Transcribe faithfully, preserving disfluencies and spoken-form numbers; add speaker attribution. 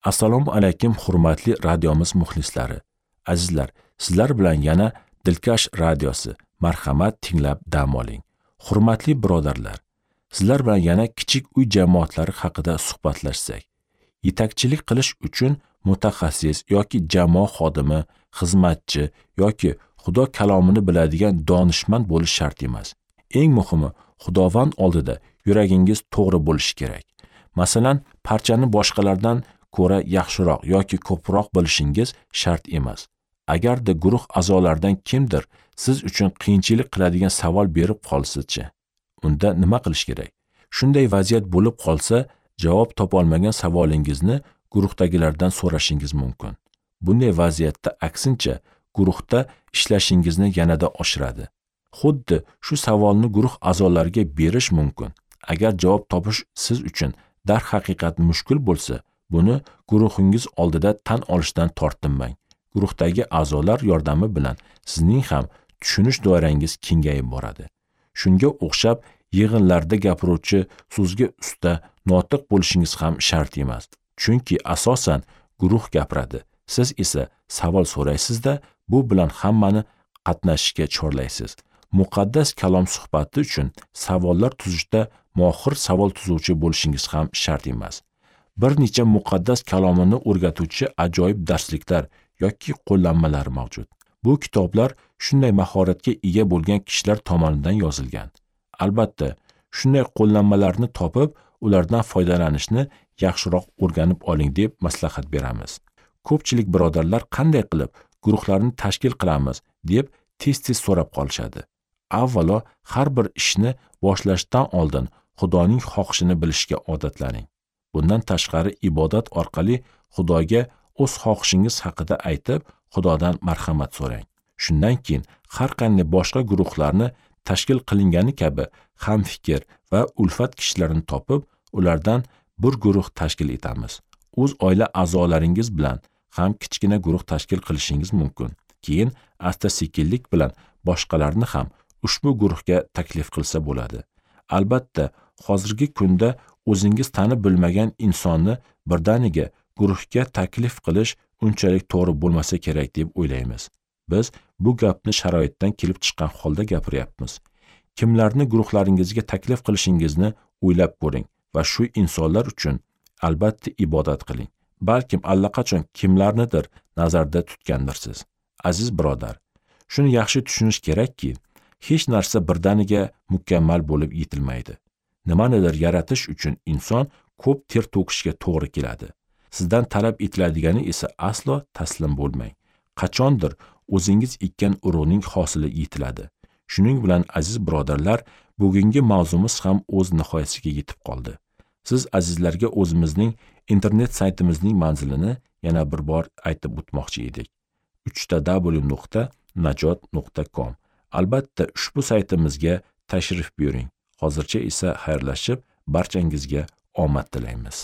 Speaker 1: Assalomu alaykum hurmatli radiomiz muxlislari. Azizlar, sizlar bilan yana Dilkash radiosi. Marhamat, tinglab dam oling. Hurmatli birodarlar, sizlar bilan yana kichik uy jamoatlari haqida suhbatlashsak. Yetakchilik qilish uchun mutaxassis yoki jamoa xodimi, xizmatchi yoki Xudo kalomini biladigan donishmand bo'lish shart emas. Eng muhimi, Xudovand oldida yuragingiz to'g'ri bo'lishi kerak. Masalan, parchani boshqalardan ko'ra yaxshiroq yoki ko'proq bilishingiz shart emas. Agarda guruh a'zolaridan kimdir siz uchun qiyinchilik qiladigan savol berib qolsa-chi, unda nima qilish kerak? Shunday vaziyat bo'lib qolsa, javob topa olmagan savolingizni guruhdagilardan so'rashingiz mumkin. Bunday vaziyatda aksincha guruhda ishlashingizni yanada oshiradi. Xuddi shu savolni guruh a'zolariga berish mumkin. Agar javob topish siz uchun darhaqiqat mushkul bo'lsa, buni guruhingiz oldida tan olishdan tortinmang. Guruhdagi a'zolar yordami bilan sizning ham tushunish doirangiz kengayib boradi. Shunga o'xshab yig'inlarda gapiruvchi, so'zga usta, notiq bo'lishingiz ham shart emas. Chunki asosan guruh gapiradi. Siz esa savol so'raysizda, bu bilan hammani qatnashishga chorlaysiz. Muqaddas kalom suhbati uchun savollar tuzishda mohir savol tuzuvchi bo'lishingiz ham shart emas. Bir necha muqaddas kalomini o'rgatuvchi ajoyib darsliklar yoki qo'llanmalar mavjud. Bu kitoblar shunday mahoratga ega bo'lgan kishilar tomonidan yozilgan. Albatta, shunday qo'llanmalarni topib, ulardan foydalanishni yaxshiroq o'rganib oling deb maslahat beramiz. Ko'pchilik birodarlar qanday qilib guruhlarni tashkil qilamiz deb tez-tez so'rab qolishadi. Avvalo har bir ishni boshlashdan oldin Xudoning xohishini bilishga odatlaning. Bundan tashqari ibodat orqali Xudoga o'z xohishingiz haqida aytib, Xudodan marhamat so'rang. Shundan keyin har qanday boshqa guruhlarni tashkil qilingani kabi hamfikr va ulfat kishilarini topib, ulardan bir guruh tashkil etamiz. O'z oila a'zolaringiz bilan ham kichkina guruh tashkil qilishingiz mumkin. Keyin asta-sekinlik bilan boshqalarni ham ushbu guruhga taklif qilsa bo'ladi. Albatta, hozirgi kunda o'zingiz tanib bilmagan insonni birdaniga guruhga taklif qilish unchalik to'g'ri bo'lmasa kerak deb o'ylaymiz. Biz bu gapni sharoitdan kelib chiqqan holda gapiryapmiz. Kimlarni guruhlaringizga taklif qilishingizni o'ylab ko'ring va shu insonlar uchun albatta ibodat qiling. Balkim allaqachon kimlarnidir nazarda tutgandirsiz. Aziz birodar, shuni yaxshi tushunish kerakki, hech narsa birdaniga mukammal bo'lib yetilmaydi. Nimanidir yaratish uchun inson ko'p ter to'kishga to'g'ri keladi. Sizdan talab etiladigani esa aslo taslim bo'lmang. Qachondir o'zingiz ekkan urug'ning hosili yetiladi. Shuning bilan aziz birodarlar, bugungi mavzumiz ham o'z nihoyasiga yetib qoldi. Siz azizlarga o'zimizning internet saytimizning manzilini yana bir bor aytib o'tmoqchi edik. uch ta w nuqta najot nuqta com. Albatta ushbu saytimizga tashrif buyuring. Hozircha esa xayrlashib, barchangizga omad tilaymiz.